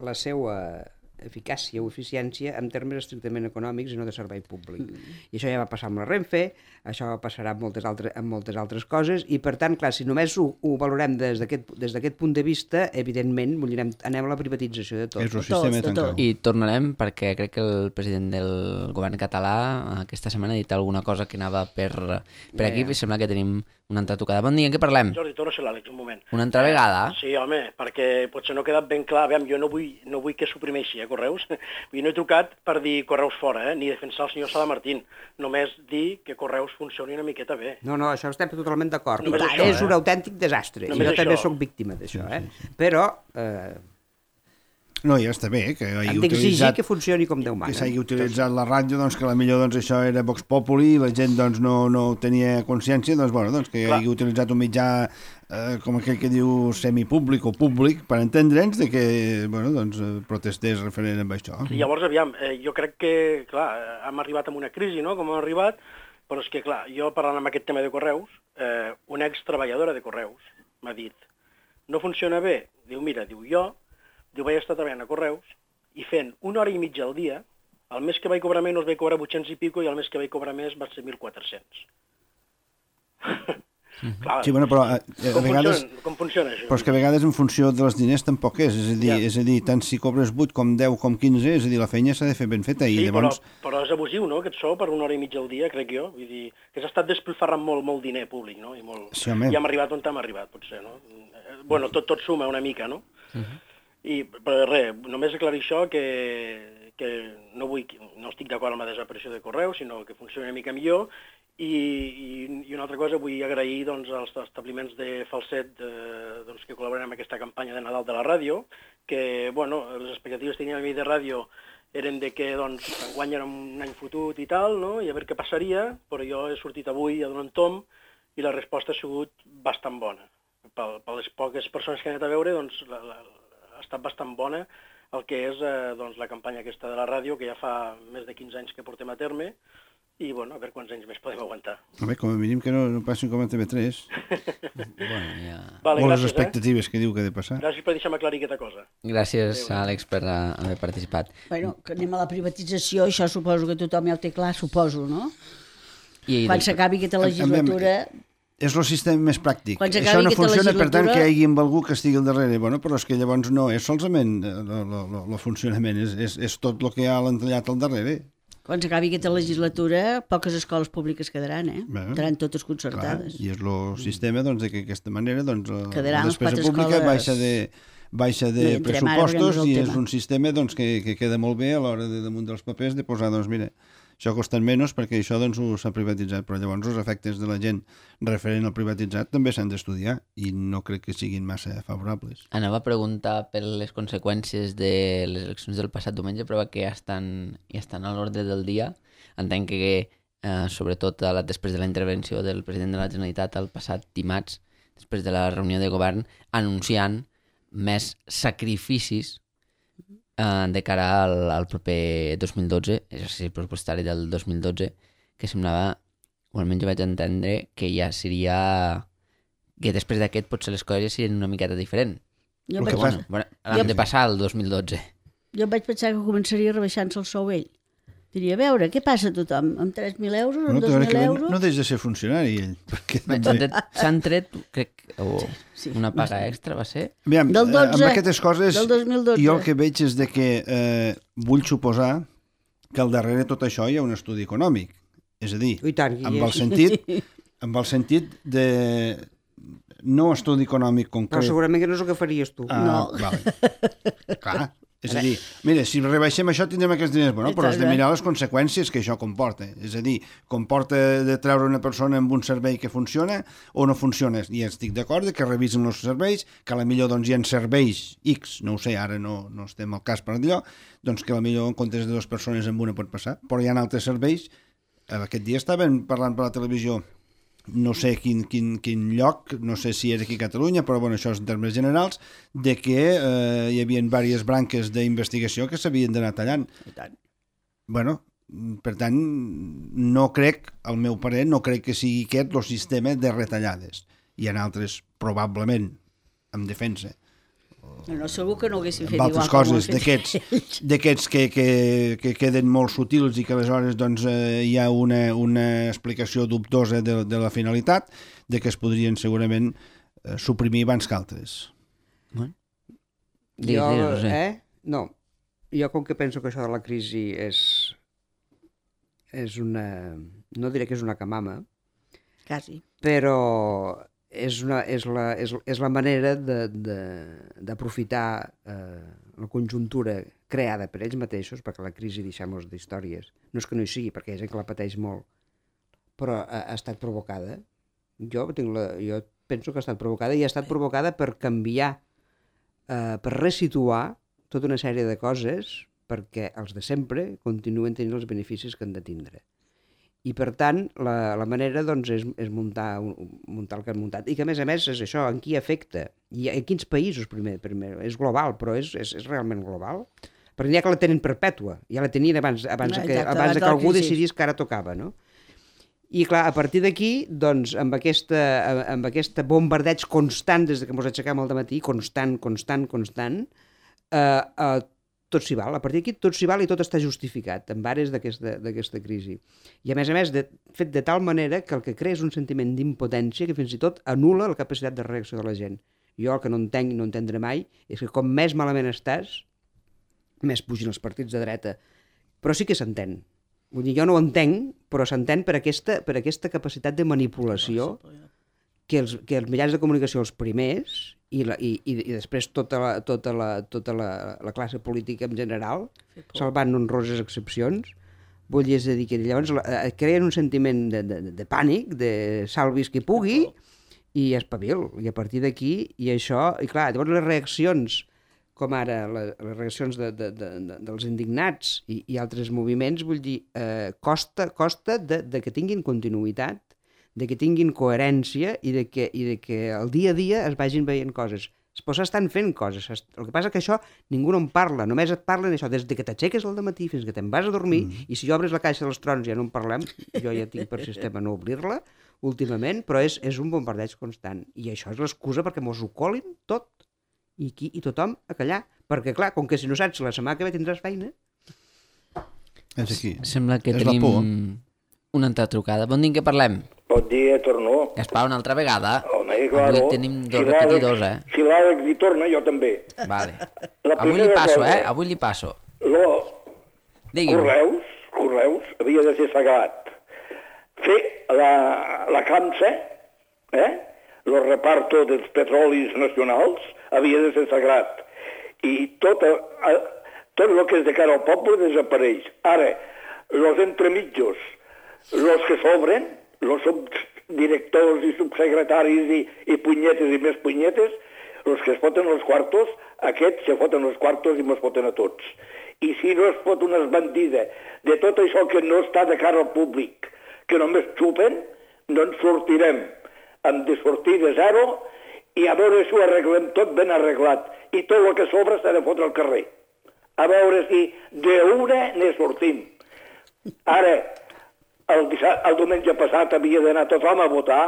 la seva eficàcia o eficiència en termes estrictament econòmics i no de servei públic. I això ja va passar amb la Renfe, això passarà amb moltes altres coses, i per tant, clar, si només ho valorem des d'aquest punt de vista, evidentment anem a la privatització de tot. És un sistema tancat. I tornarem, perquè crec que el president del govern català aquesta setmana ha dit alguna cosa que anava per aquí, i sembla que tenim una altra tocada. Bon dia, en què parlem? Jordi, torna a ser l'Àlex, un moment. Una altra vegada? Sí, home, perquè potser no ha quedat ben clar. Aviam, jo no vull que suprimeixi, Correus. No he trucat per dir Correus fora, ni defensar el senyor Sala Martín. Només dir que Correus funcioni una miqueta bé. No, això estem totalment d'acord. Això, és un autèntic desastre. Només jo també sóc víctima d'això, Sí. Però... No, ja està bé que hagi hem d'exigir que funcioni com Déu mana. Que s'hagi utilitzat la ràdio, doncs que potser doncs, això era Vox Populi i la gent doncs, no tenia consciència, doncs, bueno, doncs, que hagi utilitzat un mitjà com aquell que diu semipúblic o públic per entendre'ns de que bueno, doncs, protestés referent amb això. I llavors, aviam, jo crec que, clar, hem arribat a una crisi, no?, com hem arribat, però és que, clar, jo parlant amb aquest tema de Correus, una extreballadora de Correus m'ha dit, no funciona bé? Diu, mira, vaig estar treballant a Correus i fent 1 hora i mitja al dia, el mes que vaig cobrar menys vaig cobrar 800 i pico i el mes que vaig cobrar més va ser 1.400. Clar, sí, bueno, però a vegades... Com funciona això? Però és que a vegades en funció dels diners tampoc és a dir, tant si cobres 8 com 10 com 15, és a dir, la feina s'ha de fer ben feta. Sí, i llavors... però és abusiu, no?, aquest sou per 1 hora i mitja al dia, crec jo. Vull dir, que s'ha estat despilfarrant molt diner públic, no? Sí, I hem arribat on hem arribat, potser, no? Bueno, tot suma una mica, no? Però res, només aclarir això, que no estic d'acord amb la desaparició de Correus, sinó que funcioni una mica millor, i una altra cosa, vull agrair doncs, als establiments de Falset doncs, que col·laboren amb aquesta campanya de Nadal de la ràdio, que bueno, les expectatives que tenia a mi de ràdio eren de que doncs, enguany era un any fotut i tal, no? I a veure què passaria, però jo he sortit avui a donar un tom i la resposta ha sigut bastant bona. Per les poques persones que he anat a veure, doncs, ha estat bastant bona el que és doncs, la campanya aquesta de la ràdio, que ja fa més de 15 anys que portem a terme, i bueno, a veure quants anys més podem aguantar. A veure, com a mínim que no passin com a TV3. Bueno, ja... Vale, o gràcies, les expectatives que diu que ha de passar. Gràcies per deixar-me aclarir aquesta cosa. Gràcies, Àlex, per haver participat. Bueno, que anem a la privatització, això suposo que tothom ja ho té clar, suposo, no? Quan s'acabi aquesta legislatura... És el sistema més pràctic. Això no funciona, per tant, que hi hagi algú que estigui al darrere. Bueno, però és que llavors no és solament el funcionament, és tot el que hi ha l'entrellat al darrere. Quan s'acabi aquesta legislatura, poques escoles públiques quedaran, quedaran totes concertades. Clar, i és el sistema doncs, de que d'aquesta manera doncs, la despesa pública baixa de pressupostos i és un sistema doncs, que queda molt bé a l'hora de damunt dels papers de posar, doncs mira, això costa menys perquè això doncs, s'ha privatitzat, però llavors els efectes de la gent referent al privatitzat també s'han d'estudiar i no crec que siguin massa favorables. Anava a preguntar per les conseqüències de les eleccions del passat diumenge, però que ja estan a l'ordre del dia. Entenc que, sobretot després de la intervenció del president de la Generalitat el passat dimarts, després de la reunió de govern, anunciant més sacrificis de cara al proper 2012, exercici pressupostari del 2012, que semblava, o almenys jo vaig entendre, que ja seria... que després d'aquest potser les coses serien una miqueta diferent. L'hem de passar al 2012. Jo vaig pensar que començaria rebaixant-se el sou ell. Diria, a veure, què passa a tothom? Amb 3.000 euros, amb 2.000 euros? No deix de ser funcionari, ell. S'han tret, crec, una paga extra, va ser? Aviam, del 12, amb aquestes coses, del 2012. jo el que veig és de que vull suposar que al darrere de tot això hi ha un estudi econòmic. És a dir, amb el sentit de... no estudi econòmic concret. Però segurament que no és el que faries tu. No. Vale. Clar. És a dir, mira, si rebaixem això tindrem aquests diners, bueno, però has de mirar les conseqüències que això comporta. És a dir, comporta de treure una persona amb un servei que funciona o no funciona. I estic d'acord que revisen els serveis, que a la millor doncs, hi ha serveis X, no ho sé, ara no estem al cas per allò, doncs que a la millor en comptes de 2 persones amb una pot passar, però hi ha altres serveis. Aquest dia estaven parlant per la televisió, no sé quin lloc, no sé si és aquí a Catalunya, però bueno, això és en termes generals, de que hi havia diverses branques d'investigació que s'havien d'anar tallant. Bueno, per tant, no crec, al meu parer, no crec que sigui aquest el sistema de retallades. Hi ha altres, probablement, en defensa. No, segur que no haguessin fet igual igual coses d'aquests que queden molt sutils i que aleshores doncs, hi ha una explicació dubtosa de la finalitat, de que es podrien segurament suprimir abans que altres. No, jo com que penso que això de la crisi és una... no diré que és una camama, quasi, però és la manera d'aprofitar la conjuntura creada per ells mateixos, perquè la crisi, deixem-nos d'històries, no és que no hi sigui, perquè hi ha gent que la pateix molt, però ha estat provocada. Jo penso que ha estat provocada i ha estat provocada per canviar, per resituar tota una sèrie de coses perquè els de sempre continuen tenint els beneficis que han de tindre. I, per tant, la manera doncs, és muntar el que han muntat. I que, a més, és això, en qui afecta. I en quins països, primer. És global, però és realment global. Perquè n'hi ha que la tenen perpètua. Ja la tenien abans que algú decidís que ara tocava, no? I, clar, a partir d'aquí, doncs, amb aquest bombardeig constant des que ens aixequem al dematí, constant, tot s'hi val. A partir d'aquí tot s'hi val i tot està justificat en ares d'aquesta crisi. I a més, fet de tal manera que el que crea és un sentiment d'impotència que fins i tot anul·la la capacitat de reacció de la gent. Jo el que no entenc i no entendré mai és que com més malament estàs, més pugin els partits de dreta. Però sí que s'entén. Vull dir, jo no ho entenc, però s'entén per aquesta capacitat de manipulació que els mitjans de comunicació els primers i després tota la classe política en general, salvant honroses excepcions, vull dir, és a dir, que llavors creen un sentiment de pànic, de salvis qui pugui, i espavil. I a partir d'aquí, i això, i clar, llavors les reaccions, com ara les reaccions dels indignats i altres moviments, vull dir, costa de que tinguin continuïtat, de que tinguin coherència i de que el dia a dia es vagin veient coses. Però s'estan fent coses. El que passa és que això ningú no en parla. Només et parlen això des que t'aixeques al dematí fins que te'n vas a dormir i si obres la caixa dels trons ja no en parlem. Jo ja tinc per sistema no obrir-la últimament, però és un bombardeig constant. I això és l'excusa perquè mos ho colin tot. I tothom a callar. Perquè, clar, com que si no saps la setmana que ve tindràs feina. És aquí. Sembla que tenim una altra trucada. Bon dia, què parlem? Bon dia, torno. Gaspar, una altra vegada? Home, claro. Avui tenim dos repetidors, Si l'Àlex hi torna, jo també. Vale. Avui li passo, Avui li passo. Correus, havia de ser sagrat. Fer la CAMSA, el reparto dels petrolis nacionals, havia de ser sagrat. I tot el que és de cara al poble desapareix. Ara, els entremitjos, els que s'obren, els subdirectors i subsecretaris i punyetes i més punyetes, els que es foten els quartos, aquests se foten els quartos i mos foten a tots. I si no es fot una esbandida de tot això que no està de cara al públic, que només xupen, no ens sortirem. Hem de sortir de zero i a veure si ho arreglem tot ben arreglat. I tot el que sobra s'ha de fotre al carrer. A veure si d'una ne sortim. Ara, el diumenge passat havia d'anar tothom a votar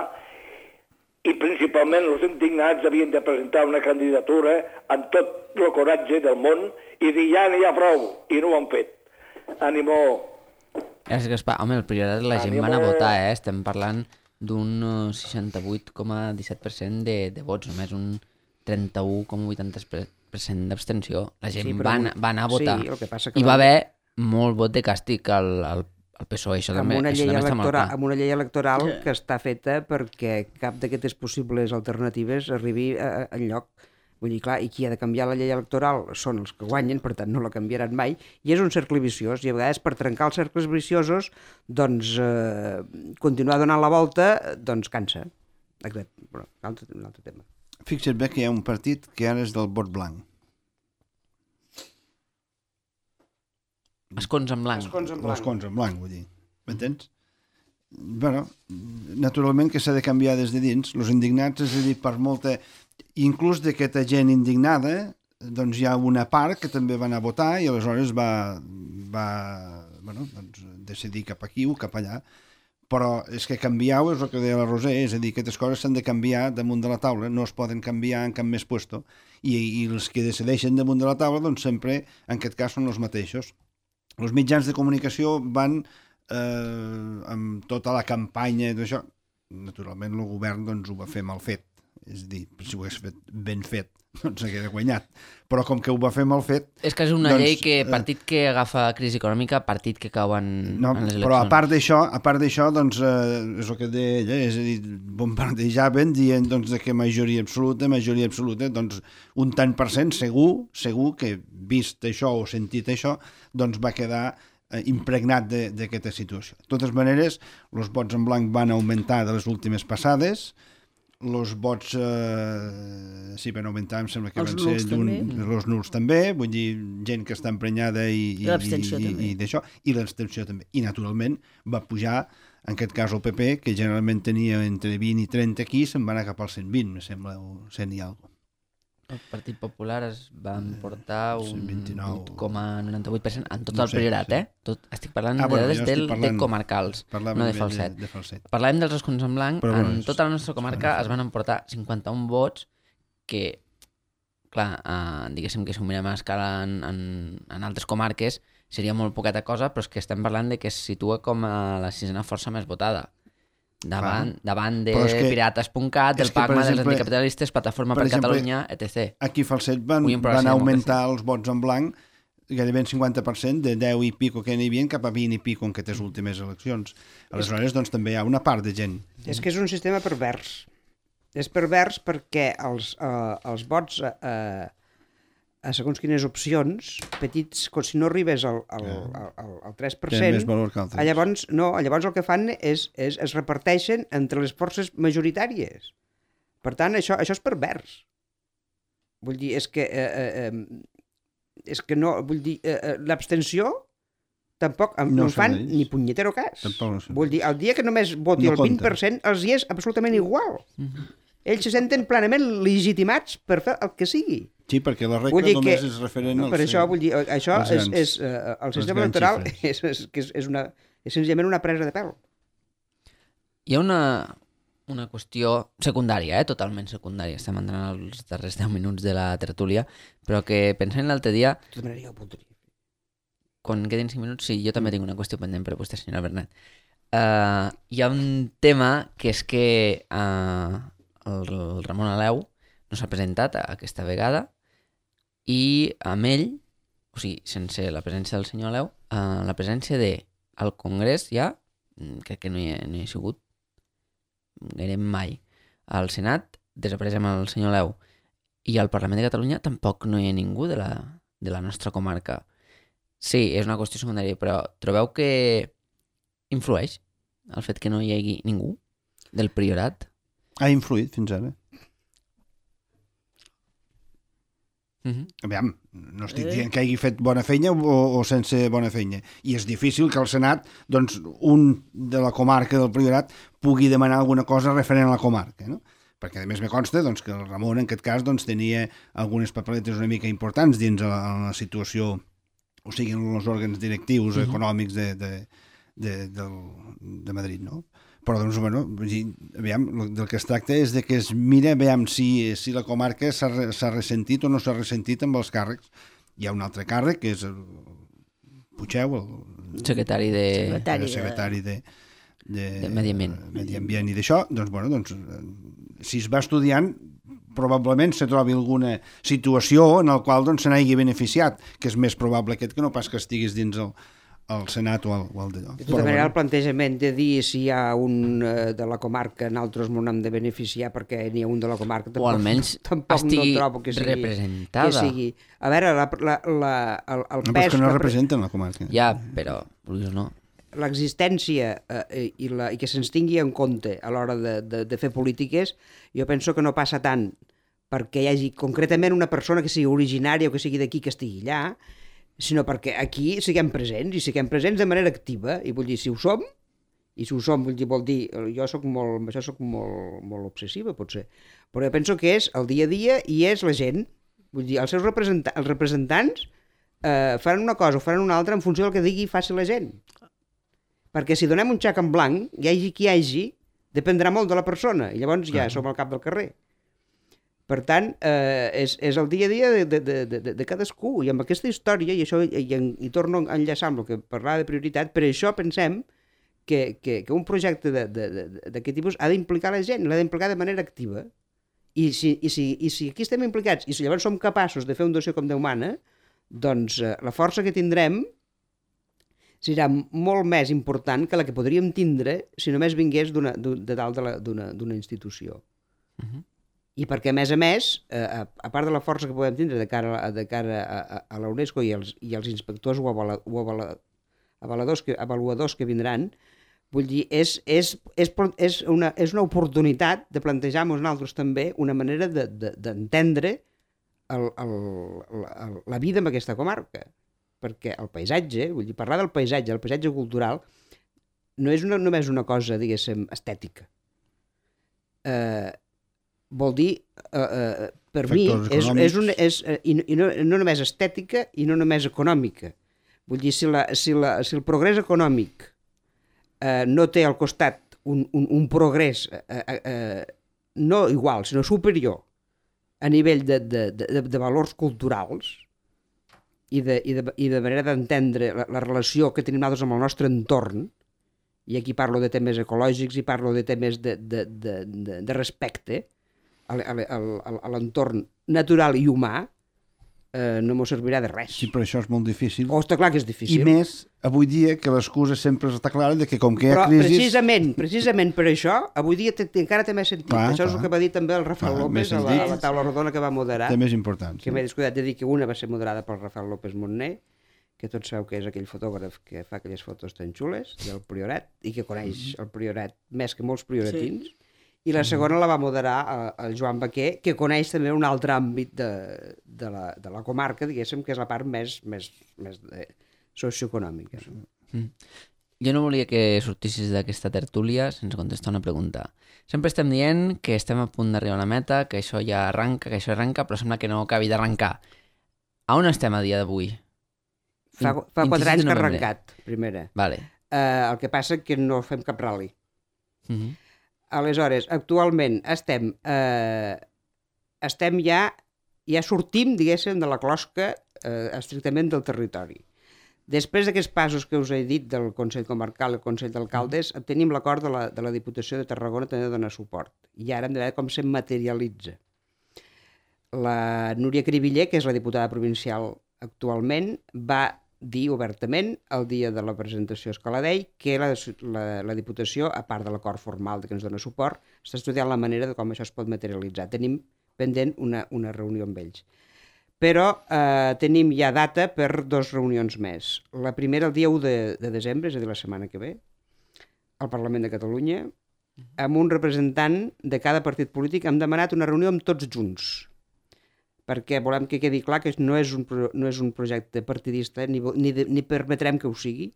i principalment els indignats havien de presentar una candidatura amb tot el coratge del món i dir ja n'hi ha prou, i no ho han fet. Ànimo. Gràcies, Gaspar. Home, el Priorat la gent va anar a votar, Estem parlant d'un 68,17% de vots, només un 31,80% d'abstenció. La gent va anar a votar. Sí, i va haver molt vot de càstig al PSOE, això també. Amb una llei electoral que està feta perquè cap d'aquestes possibles alternatives arribi enlloc. Vull dir, clar, i qui ha de canviar la llei electoral són els que guanyen, per tant no la canviaran mai, i és un cercle viciós, i a vegades per trencar els cercles viciosos, doncs continuar donant la volta, doncs cansa. Exacte. Però, un altre tema. Fixa't bé que hi ha un partit que ara és del vot blanc. Escons en blanc. Escons en blanc, vull dir. M'entens? Bueno, naturalment que s'ha de canviar des de dins. Els indignats, és a dir, per molta... Inclús d'aquesta gent indignada, doncs hi ha una part que també va anar a votar i aleshores va decidir cap aquí o cap allà. Però és que canviar-ho és el que deia la Roser, és a dir, aquestes coses s'han de canviar damunt de la taula, no es poden canviar en cap més puesto. I els que decideixen damunt de la taula, doncs sempre, en aquest cas, són els mateixos. Els mitjans de comunicació van amb tota la campanya d'això. Naturalment, el govern doncs, ho va fer mal fet. És a dir, si ho hagués fet ben fet, doncs s'hagués guanyat. Però com que ho va fer mal fet... És que és una llei que, partit que agafa crisi econòmica, partit que cau en les eleccions. Però a part d'això, doncs, és el que deia ella, és a dir, bombardejaven dient doncs, que majoria absoluta, doncs un tant per cent segur que vist això o sentit això, doncs va quedar impregnat d'aquesta situació. De totes maneres, els vots en blanc van augmentar de les últimes passades. Els vots sí, van augmentar, em sembla que van ser els nuls també, vull dir, gent que està emprenyada i d'això, i l'abstenció també. I naturalment va pujar, en aquest cas el PP, que generalment tenia entre 20 i 30 aquí, se'n va anar cap al 120, me sembla, o 100 i alguna cosa. El Partit Popular es va emportar un 8,98% en tot el Priorat, estic parlant de dades de comarcals, no de falset. Parlàvem dels escons en blanc, en tota la nostra comarca es van emportar 51 vots que, clar, diguéssim que si ho mirem a escala en altres comarques seria molt poqueta cosa, però és que estem parlant de que es situa com a la sisena força més votada. Davant de Pirates.cat, del PACMA, dels anticapitalistes, Plataforma per Catalunya, etc. Aquí Falset van augmentar els vots en blanc gairebé en 50%, de 10 i pico que n'hi havia cap a 20 i pico en aquestes últimes eleccions. Aleshores, doncs, també hi ha una part de gent. És que és un sistema pervers. És pervers perquè els vots a segons quines opcions, petits, si no arribes al 3%, llavors el que fan és es reparteixen entre les forces majoritàries. Per tant, això és pervers. Vull dir, és que no, vull dir, l'abstenció tampoc no en fan ni punyetero cas. Vull dir, el dia que només voti el 20%, els hi és absolutament igual. Ells se senten plenament legitimats per fer el que sigui. Sí, perquè la regla només és referent als... Per això, vull dir, això és el sistema electoral és senzillament una presa de pèl. Hi ha una qüestió secundària, totalment secundària. Estem entrant als darrers 10 minuts de la tertúlia, però que pensant l'altre dia... Quan quedin 5 minuts, sí, jo també tinc una qüestió pendent per vostè, senyora Bernat. Hi ha un tema que és que el Ramon Aleu no s'ha presentat aquesta vegada i amb ell, o sigui, sense la presència del senyor Aleu, la presència al Congrés ja, crec que no hi ha sigut gairebé mai. Al Senat desapareix amb el senyor Aleu i al Parlament de Catalunya tampoc no hi ha ningú de la nostra comarca. Sí, és una qüestió secundària, però trobeu que influeix el fet que no hi hagi ningú del Priorat? Ha influït fins ara. Aviam, no estic dient que hagi fet bona feina o sense bona feina. I és difícil que el Senat, doncs, un de la comarca del Priorat pugui demanar alguna cosa referent a la comarca, no? Perquè a més me consta doncs, que el Ramon en aquest cas doncs, tenia algunes papeletes una mica importants dins la situació, o sigui, en els òrgans directius econòmics de Madrid, no? Però, doncs, bueno, aviam, del que es tracta és de que es mira, aviam, si la comarca s'ha ressentit o no s'ha ressentit amb els càrrecs. Hi ha un altre càrrec, que és el Puigeu, el secretari de Medi Ambient i d'això, doncs, bueno, doncs, si es va estudiant, probablement se trobi alguna situació en la qual doncs, se n'hagi beneficiat, que és més probable aquest que no pas que estiguis dins el Senat o el d'allò. De tota manera, el plantejament de dir si hi ha un de la comarca, nosaltres m'ho hem de beneficiar perquè n'hi ha un de la comarca, o almenys estigui representada. A veure, el no, pes... que no representen la comarca. Ja, però no. L'existència i que se'ns tingui en compte a l'hora de fer polítiques, jo penso que no passa tant perquè hi hagi concretament una persona que sigui originària o que sigui d'aquí que estigui allà, sinó perquè aquí siguem presents, i siguem presents de manera activa, i vull dir, si ho som, vol dir, jo soc molt obsessiva, potser, però jo penso que és el dia a dia i és la gent, vull dir, els representants faran una cosa o faran una altra en funció del que digui i faci la gent. Perquè si donem un xec en blanc, hi hagi qui hi hagi, dependrà molt de la persona, i llavors ja som al cap del carrer. Per tant, és el dia a dia de cadascú, i amb aquesta història, i torno a enllaçar amb el que parlava de prioritat, per això pensem que un projecte d'aquest tipus ha d'implicar la gent, l'ha d'implicar de manera activa. I si aquí estem implicats, i si llavors som capaços de fer un dossier com Déu mana, doncs la força que tindrem serà molt més important que la que podríem tindre si només vingués de dalt d'una institució. I perquè, a més, a part de la força que podem tindre de cara a la UNESCO i els inspectors o avaluadors que vindran, vull dir, és una oportunitat de plantejar-nos nosaltres també una manera d'entendre la vida en aquesta comarca. Perquè el paisatge, vull dir, parlar del paisatge, el paisatge cultural, no és només una cosa, diguéssim, estètica. Vol dir, per mi, i no només estètica i no només econòmica. Vull dir, si el progrés econòmic no té al costat un progrés no igual, sinó superior a nivell de valors culturals i de manera d'entendre la relació que tenim nosaltres amb el nostre entorn, i aquí parlo de temes ecològics i parlo de temes de respecte a l'entorn natural i humà, no m'ho servirà de res. Sí, però això és molt difícil. Està clar que és difícil. I més, avui dia, que l'excusa sempre està clara de que com que hi ha crisis... Però precisament per això, avui dia encara té més sentit. Això és el que va dir també el Rafael López a la taula rodona que va moderar. Té més importància. Que m'he descuidat de dir que una va ser moderada pel Rafael López Montner, que tots sabeu que és aquell fotògraf que fa aquelles fotos tan xules del Priorat i que coneix el Priorat més que molts prioratins. I la segona la va moderar el Joan Baquer, que coneix també un altre àmbit de la comarca, diguéssim, que és la part més socioeconòmica. Jo no volia que sortissis d'aquesta tertúlia sense contestar una pregunta. Sempre estem dient que estem a punt d'arribar a la meta, que això ja arranca, però sembla que no acabi d'arrencar. A on estem a dia d'avui? Fa 4 anys que ha arrencat, primera. Vale. El que passa que no fem cap ral·li. Aleshores, actualment estem ja sortim, diguéssim, de la closca estrictament del territori. Després d'aquests passos que us he dit del Consell Comarcal i el Consell d'Alcaldes, tenim l'acord de la Diputació de Tarragona també de donar suport. I ara hem de veure com se materialitza. La Núria Cribiller, que és la diputada provincial actualment, va dir obertament el dia de la presentació a Escaladell que la Diputació, a part de l'acord formal que ens dona suport, està estudiant la manera de com això es pot materialitzar. Tenim pendent una reunió amb ells. Però tenim ja data per 2 reunions més. La primera el dia 1 de desembre, és a dir, la setmana que ve, al Parlament de Catalunya, amb un representant de cada partit polític. Hem demanat una reunió amb tots junts, perquè volem que quedi clar que no és un projecte partidista, ni permetrem que ho sigui,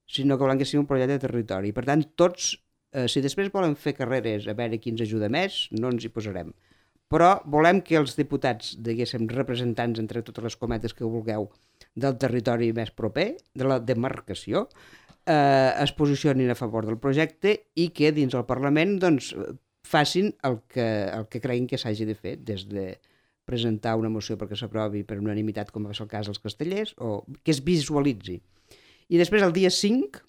sinó que volem que sigui un projecte de territori. Per tant, tots, si després volen fer carreres a veure qui ens ajuda més, no ens hi posarem. Però volem que els diputats, diguéssim, representants, entre totes les cometes que vulgueu, del territori més proper, de la demarcació, es posicionin a favor del projecte i que dins del Parlament doncs, facin el que creguin que s'hagi de fer, des de presentar una moció perquè s'aprovi per unanimitat, com va ser el cas dels castellers, o que es visualitzi. I després el dia 5,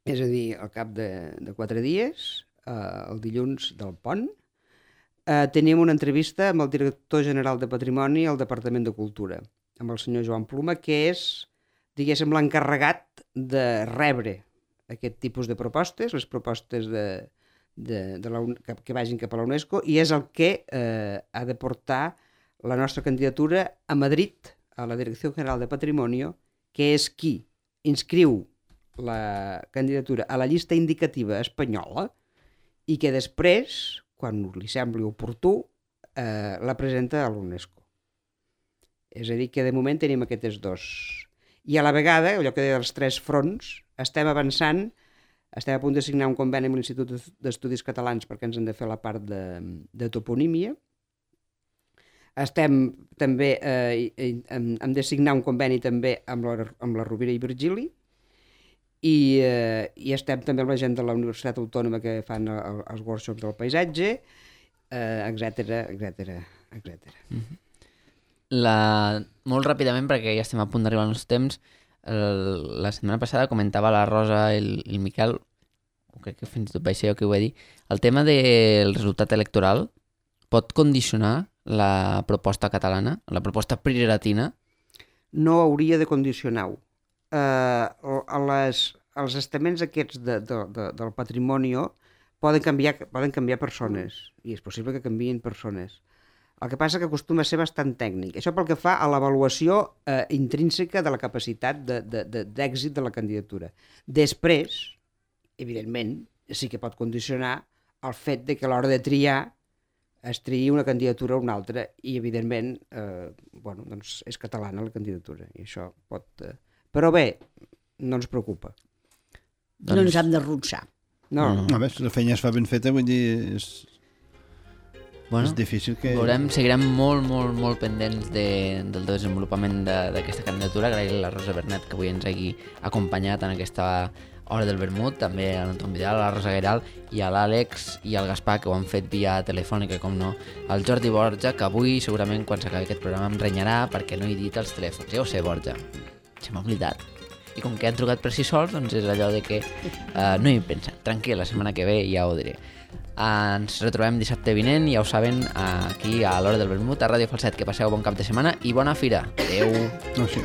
és a dir, al cap de 4 dies, el dilluns del pont, tenim una entrevista amb el director general de Patrimoni al Departament de Cultura, amb el senyor Joan Pluma, que és, diguéssim, l'encarregat de rebre aquest tipus de propostes, les propostes que vagin cap a la UNESCO, i és el que ha de portar la nostra candidatura a Madrid, a la Direcció General de Patrimonio, que és qui inscriu la candidatura a la llista indicativa espanyola i que després, quan li sembli oportú, la presenta a l'UNESCO. És a dir, que de moment tenim aquests dos. I a la vegada, allò que deia dels 3 fronts, estem avançant. Estem a punt de signar un conveni amb l'Institut d'Estudis Catalans perquè ens han de fer la part de toponímia. Estem també, hem de signar un conveni també amb la Rovira i Virgili i estem també amb la gent de la Universitat Autònoma que fan els workshops del paisatge, etc. Molt ràpidament, perquè ja estem a punt d'arribar al nostre temps, la setmana passada comentava la Rosa i el Miquel, crec que fins i tot vaig ser jo que ho vaig dir, el tema del resultat electoral pot condicionar la proposta catalana, la proposta priratina? No hauria de condicionar-ho. Els estaments aquests del patrimoni poden canviar persones, i és possible que canviïn persones. El que passa que acostuma a ser bastant tècnic. Això pel que fa a l'avaluació intrínseca de la capacitat d'èxit de la candidatura. Després, evidentment, sí que pot condicionar el fet de que a l'hora de triar es triï una candidatura o una altra i, evidentment, doncs és catalana la candidatura. I això pot... Però bé, no ens preocupa. No ens hem d'arronsar. No. A veure, si la feina es fa ben feta, vull dir... Bueno, és difícil que... Seguirem molt pendents del desenvolupament d'aquesta candidatura. Agrair a la Rosa Bernet que avui ens hagi acompanyat en aquesta hora del vermut, també a l'Anton Vidal, a la Rosa Gueral i a l'Àlex i al Gaspar, que ho han fet via telefònica, com no, al Jordi Borja, que avui segurament quan s'acabi aquest programa em renyarà perquè no he dit els telèfons. Ja ho sé, Borja, se m'ha oblidat. I com que han trucat per si sols, doncs és allò de que no hi he pensat. Tranquil, la setmana que ve ja ho diré. Ens retrobem dissabte vinent, ja ho saben, aquí a l'Hora del Vermut, a Ràdio Falset. Que passeu bon cap de setmana i bona fira. Adéu. No sé.